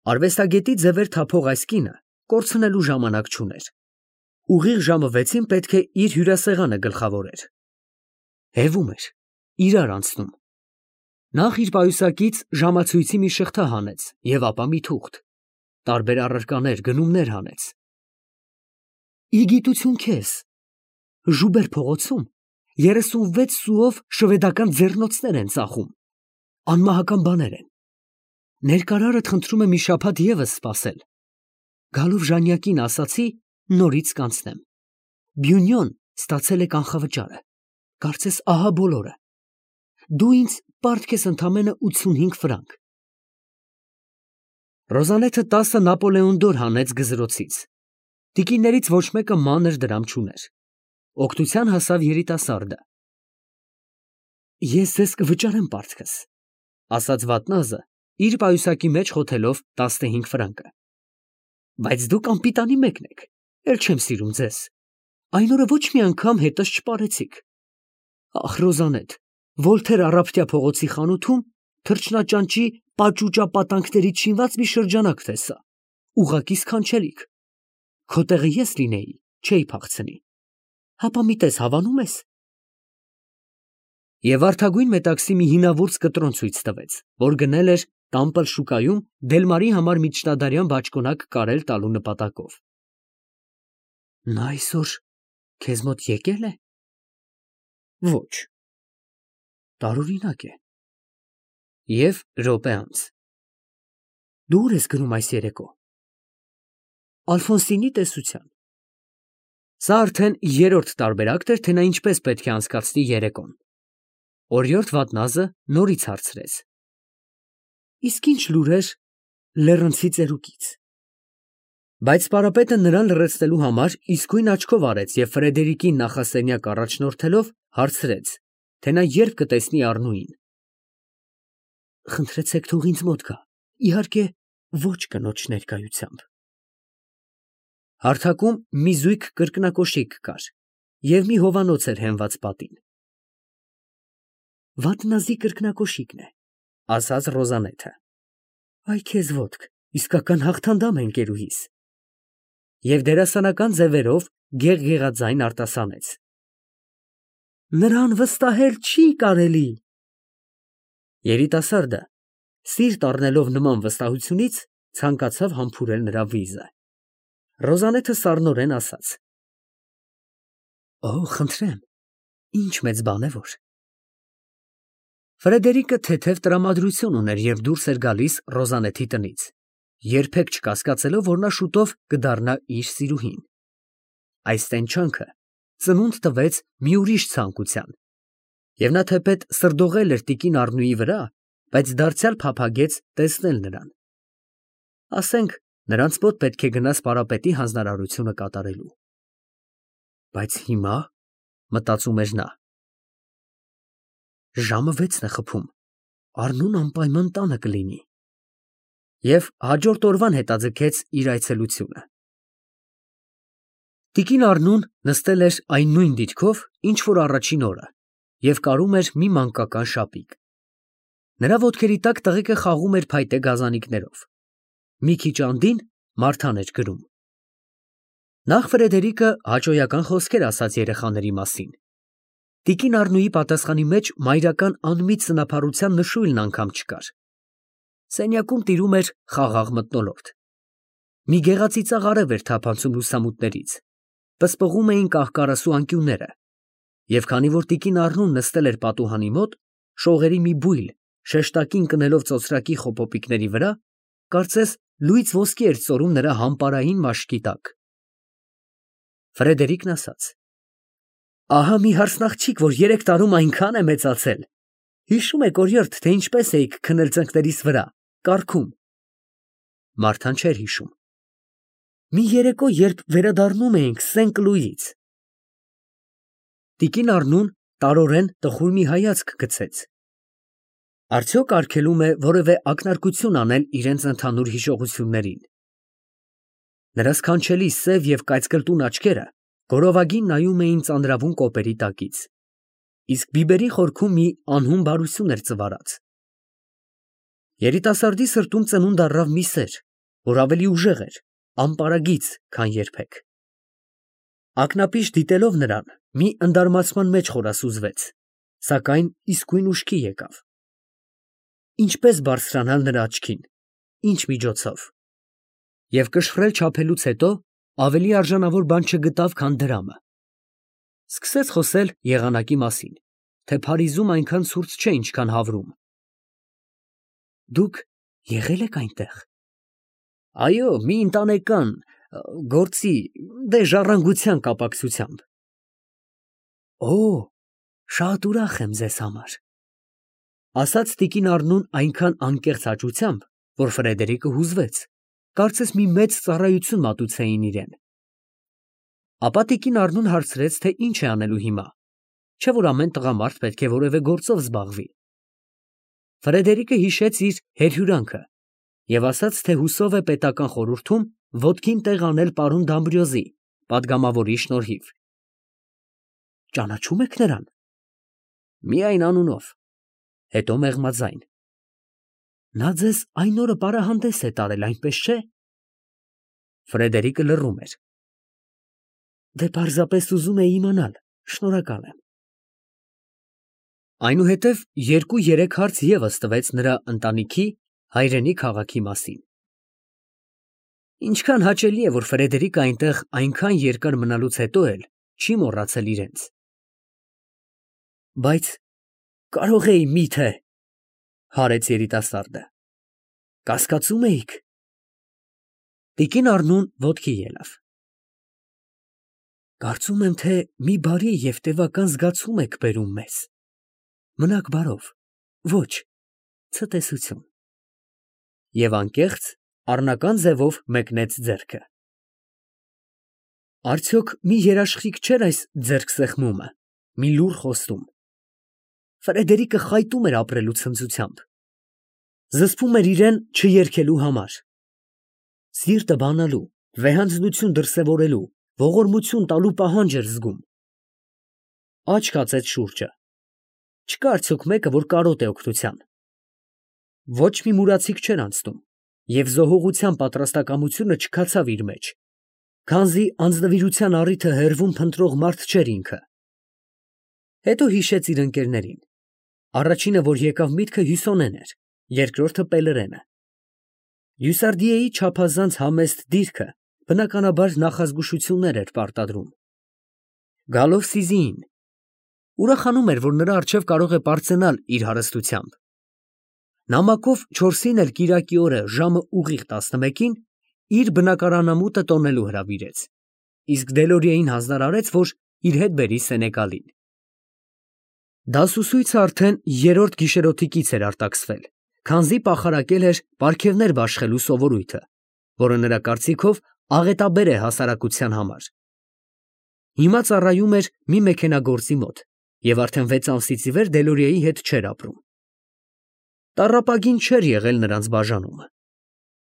Արվեստագետի ձևեր թափող այս կինը կորցնելու ժամանակ չուներ։ Ուղիղ ժամը 6-ին պետք է իր հյուրասեղանը գլխավորեր։ Հևում էր, իրար անցնում։ Նախ իր պայուսակից ժամացույցի մի շղթա հանեց և ապա մի թուղթ, տարբեր առարկաներ, գնումներ հանեց։ Ի գիտություն քեզ, Ժուբեր փողոցում 36 սուով շվեդական ձեռնոցներ են ծախում, անմահական բաներ են։ Ներկարարդ խնդրում է մի շաբաթ ևս սպասել։ Գալով ժանյակին ասացի, նորից կանցնեմ։ Բյունյոն ստացել է կանխավճարը, կարծես ահա բոլորը։ Դու ինձ պարտք ես ընդամենը 85 ֆրանկ։ Ռոզանեթը 10 Նապոլեոն դոր հանեց գզրոցից։ Տիկիներից ոչ մեկը մանր դրամ չուներ։ Օգնության հասավ երիտասարդը։ Ես ձեզ կվճարեմ պարտքս, ասաց վատնազը, իր պայուսակի մեջ խոթելով 15 ֆրանկը։ Բայց դուք անպիտանի մեկն եք, էլ չեմ սիրում ձեզ։ Այն օրը ոչ մի անգամ հետս չպարեցիք։ Ախ, Ռոզանեթ, Վոլթեր առավոտյա փողոցի խանութում թռչնաճանճի պաճուճապատանքներից շինված մի շրջանակ տեսա, ուղղակի սքանչելիք։ Քո տեղը ես լինեի, չէի փախցնի։ Հապա մի տես հավանում ես։ Եվ վարդագույն մետաքսի մի հինավուրց կտրոն ցույց տվեց, որ գնել էր Տամպլ շուկայում Դելմարի համար միջնադարյան բաճկոնակ կարել տալու նպատակով։ Նա այսօր քեզ մոտ եկել է։ Ոչ։ Տարօրինակ է։ Եվ րոպե անց։ Դու ուր ես գնում այս երեկո։ Ալֆոնսինի տեսության։ Սա արդեն երրորդ տարբերակն էր, թե նա ինչպես պետք է անցկացնի երեկոն։ Օրիորդ Վատնազը նորից հարցրեց. Իսկ ինչ լուրեր լեռնցի ծերուկից։ Բայց պարապետը նրան լռեցնելու համար իսկույն աչքով արեց և Ֆրեդերիկին նախասենյակ առաջնորդելով հարցրեց, թե նա երբ կտեսնի Առնուին։ Խնդրեցեք թող ինձ մոտ գա, իհարկե ոչ կնոջ ներկայությամբ։ Հարթակում մի զույգ կրկնակոշիկ կար և մի հովանոց էր հենված պատին։ Վատնազի կրկնակոշիկն է, ասաց Ռոզանեթը։ Այ քեզ ոտք, իսկական հաղթանդամ է ընկերուհիս։ Եվ դերասանական ձևերով գեղգեղաձայն արտասանեց. Նրան վստահել չի կարելի։ Երիտասարդը, սիրտ առնելով նման վստահությունից, ցանկացավ համբուրել նրա վիզը։ Ռոզանեթը սառնորեն ասաց. Օ, խնդրեմ, ինչ մեծ բան է որ։ Ֆրեդերիկը թեթև տրամադրություն ուներ և դուրս էր գալիս Ռոզանեթի տնից, երբեք չկասկածելով, որ նա շուտով կդառնա իր սիրուհին։ Այս տենչանքը ծնունդ տվեց մի ուրիշ ցանկության, և նա թեպետ սրդողել էր տիկին Առնուի վրա, բայց դարձյալ փափագեց տեսնել նրան։ Ասենք, նրանց մոտ պետք է գնաս պարապետի հանձնարարությունը կատարելու։ Բայց հիմա, մտածում էր նա, ժամը 6-ն է խփում, Առնուն անպայման տանը կլինի։ Եվ հաջորդ օրվան հետաձգեց իր այցելությունը։ Տիկին Առնուն նստել էր այն նույն դիրքով, ինչ որ առաջին օրը, և կարում էր մի մանկական շապիկ։ Նրա ոտքերի տակ տղեկը խաղում էր փայտե գազանիկներով։ Մի քիչ անդին Մարթան էր գրում։ Նախ Ֆրեդերիկը հաճոյական խոսքեր ասաց երեխաների մասին։ Տիկին Առնուի պատասխանի մեջ մայրական անմիտ սնափառության նշույլն անգամ չկար։ Սենյակում տիրում էր խաղաղ մթնոլորտ։ Մի գեղածիծաղ արև էր թափանցում լուսամուտներից, պսպղում էին կահ֊կարասու անկյունները, և քանի որ տիկին Առնուն նստել էր պատուհանի մոտ, շողերի մի բույլ շեշտակին կնելով ծոծրակի խոպոպիկների վրա, կարծես լույս ոսկի էր ծորում նրա համպարային մաշկի տակ։ Ֆրեդերիկն ասաց. Ահա մի հարսնաղջիկ, որ 3 տարում այնքան է մեծացել։ Հիշում եք, օրիորդ, թե ինչպես էիք քնել ծնկներիս վրա, կառքում։ Մարթան չէր հիշում։ Մի երեկո, երբ վերադառնում էինք Սեն֊Կլուիից։ Տիկին Առնուն տարորեն տխուր մի հայացք գցեց։ Արդյոք արգելում է որևէ ակնարկություն անել իրենց ընդհանուր հիշողություններին։ Նրա սքանչելի սև և կայծկլտուն աչքերը գորովագին նայում էին ծանրավուն կոպերի տակից, իսկ բիբերի խորքում մի անհուն բարություն էր ծվարած։ Երիտասարդի սրտում ծնունդ առավ մի սեր, որ ավելի ուժեղ էր, անպարագիծ, քան երբեք։ Ակնապիշ դիտելով նրան, մի ընդարմացման մեջ խորասուզվեց, սակայն իսկույն ուշքի եկավ։ Ինչպես բարձրանալ նրա աչքին, ինչ միջոցով։ Եվ կշռել չափելուց հետո ավելի արժանավոր բան չգտավ, քան դրամը։ Սկսեց խոսել եղանակի մասին, թե Փարիզում այնքան ցուրտ չէ, ինչքան Հավրում։ Դուք եղել եք այնտեղ։ Այո, մի ընտանեկան գործի, դե ժառանգության կապակցությամբ։ Օ, շատ ուրախ եմ ձեզ համար, ասաց տիկին Առնուն այնքան անկեղծ հաճությամբ, որ Ֆրեդերիկը հուզվեց, կարծես մի մեծ ծառայություն մատուցեին իրեն։ Ապա տիկին Առնուն հարցրեց, թե ինչ է անելու հիմա, չէ որ ամեն տղամարդ պետք է որևէ գործով զբաղվի։ Ֆրեդերիկը հիշեց իր հերհյուրանքը և ասաց, թե հուսով է պետական խորհրդում ոտքին տեղ անել պարոն Դամբրիոզի, պատգամավորի շնորհիվ։ Ճանաչում եք նրան։ Միայն անունով, հետո մեղմաձայն։ Նա ձեզ այն օրը պարահանդես է տարել, այնպես չէ։ Ֆրեդերիկը լռում էր։ Դե պարզապես ուզում էի իմանալ, շնորհակալ եմ։ Այնուհետև 2-3 հարց ևս տվեց նրա ընտանիքի, հայրենի քաղաքի մասին։ Ինչքան հաճելի է, որ Ֆրեդերիկը այնտեղ այնքան երկար մնալուց հետո էլ չի մոռացել իրենց։ Բայց կարող էի միթե, հարեց երիտասարդը։ Կասկածում էիք։ Տիկին Առնուն ոտքի ելավ։ Կարծում եմ, թե մի բարի և տևական զգացում եք բերում մեզ։ Մնաք բարով, ոչ, ցտեսություն։ Եվ անկեղծ առնական ձևով մեկնեց ձեռքը։ Արդյոք մի երաշխիք չէր այս ձեռքսեղմումը, մի լուռ խոստում։ Ֆրեդերիկը խայտում էր ապրելու ցնծությամբ։ Զսպում էր իրեն չերգելու համար։ Սիրտը բանալու, վեհանձնություն դրսևորելու, ողորմություն տալու պահանջ էր զգում։ Աչք հացեց շուրջը։ Չկա արդյոք մեկը, որ կարոտ է օգնության։ Ոչ մի մուրացիկ չէր անցնում, և զոհողության պատրաստակամությունը չքացավ իր մեջ, քանզի անձնվիրության առիթը հեռվում փնտրող մարդ չէր ինքը։ Հետո հիշեց իր ընկերներին։ Առաջինը, որ եկավ միտքը, Հյուսոնեն էր, երկրորդը Պելերենը։ Հյուսարդիեի չափազանց համեստ դիրքը բնականաբար նախազգուշություններ էր պարտադրում։ Գալով Սիզիին, ուրախանում էր, որ նրա առջև կարող է պարծենալ իր հարստությամբ։ Նամակով 4-ին էլ կիրակի օրը ժամը ուղիղ 11-ին իր բնակարանամուտը տոնելու հրավիրեց, իսկ Դելորիեին հանձնարարեց, որ իր հետ բերի Սենեգալին։ Դասուսույցը արդեն 3-րդ գիշերօթիկից էր արտաքսվել, քանզի պախարակել էր պարգևներ բաշխելու սովորույթը, որը նրա կարծիքով աղետաբեր է հասարակության համար։ Հիմա ծառայում էր մի մեքենագործի մոտ և արդեն 6 ամսից ի վեր Դելորիեի հետ չէր ապրում։ Տառապագին չէր եղել նրանց բաժանումը։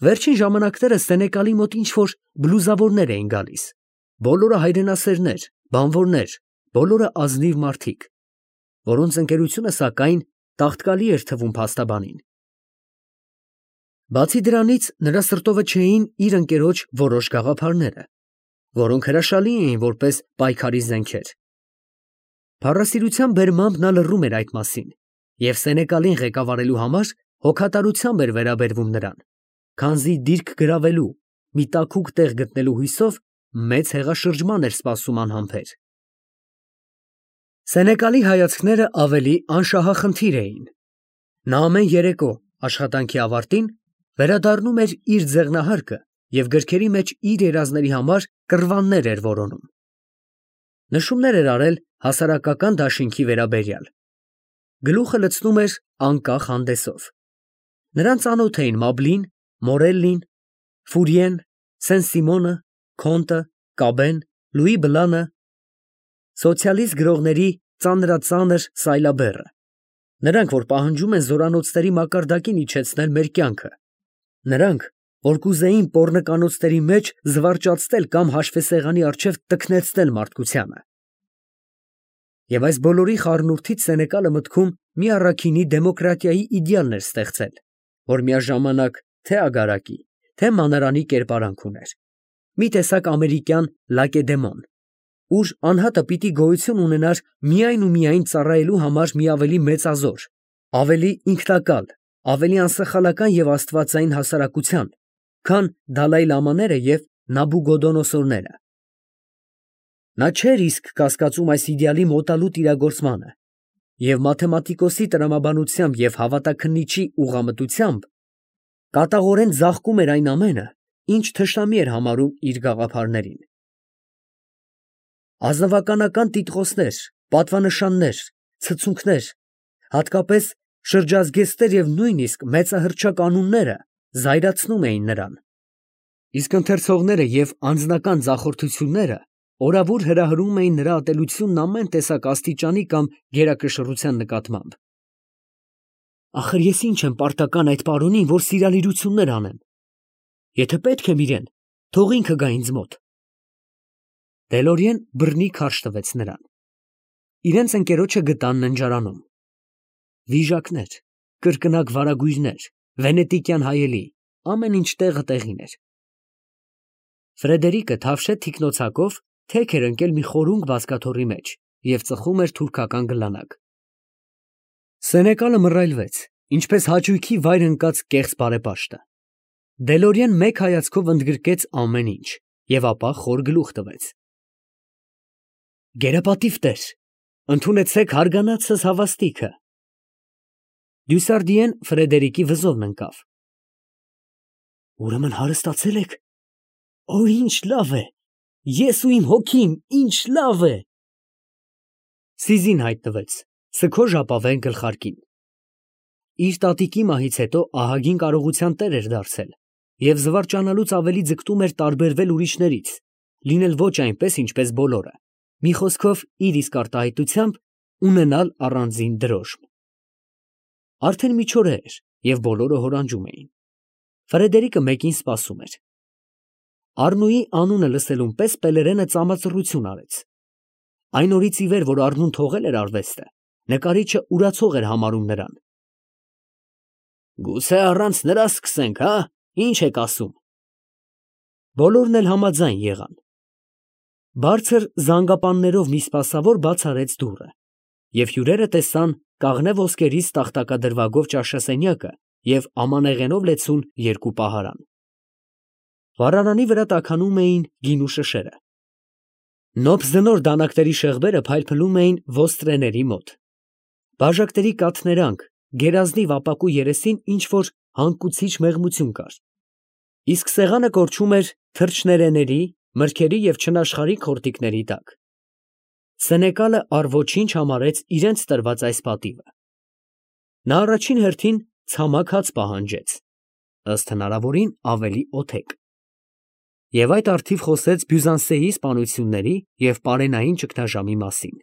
Վերջին ժամանակներս Սենեկալի մոտ ինչ-որ բլուզավորներ էին գալիս, բոլորը հայրենասերներ, բանվորներ, բոլորը ազնիվ մարդիկ, որոնց ընկերությունը, սակայն, տաղտկալի էր թվում փաստաբանին։ Բացի դրանից, նրա սրտովը չէին իր ընկերոջ որոշ գաղափարները, որոնք հրաշալի էին որպես պայքարի զենքեր։ Փառասիրության բերմամբ նա լռում էր այդ մասին, և Սենեկալին ղեկավարելու համար հոգատարությամբ էր վերաբերվում նրան, քանզի դիրք գրավելու, մի տաքուկ տեղ գտնելու հույսով մեծ հեղաշրջման էր սպասում անհամբեր։ Սենեկալի հայացքները ավելի անշահախնդիր էին։ Նա ամեն երեկո աշխատանքի ավարտին վերադառնում էր իր ձեղնահարկը և գրքերի մեջ իր երազների համար կռվաններ էր որոնում։ Նշումներ էր արել հասարակական դաշինքի վերաբերյալ։ Գլուխը լցնում էր անկախ հանդեսով։ Նրան ծանոթ էին Մաբլին, Մորելլին, Ֆուրիեն, Սեն֊Սիմոնը, Քոնտը, Կաբեն, Լուի Բլանը, սոցիալիստ գրողների ծանրածանր Սայլաբերը։ Նրանք, որ պահանջում են զորանոցների մակարդակին իջեցնել մեր կյանքը։ Նրանք, որ կուզեին պոռնկանոցների մեջ զվարճացնել կամ հաշվեսեղանի առջև տքնեցնել մարդկությանը։ Եվ այս բոլորի խառնուրդից Սենեկալը մտքում մի առաքինի դեմոկրատիայի իդեալն էր ստեղծել, որ միաժամանակ թե՛ ագարակի, թե մանարանի կերպարանք ուներ, մի տեսակ ամերիկյան լակեդեմոն, ուր անհատը պիտի գոյություն ունենար միայն ու միայն ծառայելու համար մի ավելի մեծազոր, ավելի ինքնակալ, ավելի անսխալական և աստվածային հասարակության, քան Դալայլամաները և Նաբուգոդոնոսորները։ Նա չէր իսկ կասկածում այս իդեալի մոտալուտ իրագործմանը և մաթեմատիկոսի տրամաբանությամբ և հավատաքննիչի ուղղամտությամբ կատաղորեն ձաղկում էր այն ամենը, ինչ թշնամի էր համարում իր գաղափարներին։ Ազնվականական տիտղոսներ, պատվանշաններ, ցցունքներ, հատկապես շրջազգեստներ և նույնիսկ մեծահռչակ անունները զայրացնում էին նրան, իսկ ընթերցողները և անձնական ձախորդությունները օրավուր հրահրում էին նրա ատելությունն ամեն տեսակ աստիճանի կամ գերակշռության նկատմամբ։ Ախր ես ինչ եմ պարտական այդ պարոնին, որ սիրալիրություններ անեմ։ Եթե պետք եմ իրեն, թող ինքը գա ինձ մոտ։ Դելորիեն բռնի քարշ տվեց նրան։ Իրենց ընկերոջը գտան ննջարանում։ Վիժակներ, կրկնակ վարագույրներ, վենետիկյան հայելի, ամեն ինչ տեղը տեղին էր։ Ֆրեդերիկը թավշե թիկնոցակով թեք էր ընկել մի խորունգ բազկաթոռի մեջ և ծխում էր թուրքական գլանակ։ Սենեկալը մռայլվեց, ինչպես հաճույքի վայր ընկած կեղծ բարեպաշտը։ Դելորիեն մեկ հայացքով ընդգրկեց ամեն ինչ և ապա խոր գլուխ տվեց։ Գերապատիվ տեր, ընդունեցեք հարգանացս հավաստիքը։ Դյուսարդիեն Ֆրեդերիկի վզովն ընկավ։ Ուրեմն հարստացել եք։ Օ, ինչ լավ է։ Ես ու իմ հոգին, ինչ լավ է։ Սիզին հայտնվեց, սգո ժապավեն գլխարկին։ Իր տատիկի մահից հետո ահագին կարողության տեր էր դարձել և զվարճանալուց ավելի ձգտում էր տարբերվել ուրիշներից, լինել ոչ այնպես, ինչպես բոլորը, մի խոսքով իր իսկ արտահայտությամբ ունենալ առանձին դրոշմ։ Արդեն միջօրե էր, և բոլորը հորանջում էին։ Ֆրեդերիկը մեկին սպասում էր։ Առնուի անունը լսելուն պես Պելերենը ծամածռություն արեց։ Այն օրից ի վեր, որ Առնուն թողել էր արվեստը, նկարիչը ուրացող էր համարում նրան։ Գուցե առանց նրա սկսենք, հա՞, ինչ եք ասում։ Բոլորն էլ համաձայն եղան։ Բարձր զանգապաններով մի սպասավոր բաց արեց դուռը, և հյուրերը տեսան կաղնե ոսկերից տախտակադրվագով ճաշասենյակը և ամանեղենով լեցուն երկու պահարան։ Վառարանի վրա տաքանում էին գինու շշերը։ Նոպզնոր դանակաների շեղբերը փայլփլում էին ոստրեների մոտ։ Բաժակների կաթներանք, գերազնիվ ապակու երեսին ինչ֊որ հանգուցիչ մեղմություն կար, իսկ սեղանը կորչում էր թռչներեների, մրգերի և չնաշխարհիկ խորտիկների տակ։ Սենեկալը առ ոչինչ համարեց իրենց տրված այս պատիվը։ Նա առաջին հերթին ցամաք հաց պահանջեց, ըստ հնարավորին ավելի օթեք, և այդ առթիվ խոսեց Բյուզանսեի սպանությունների և պարենային ճգնաժամի մասին։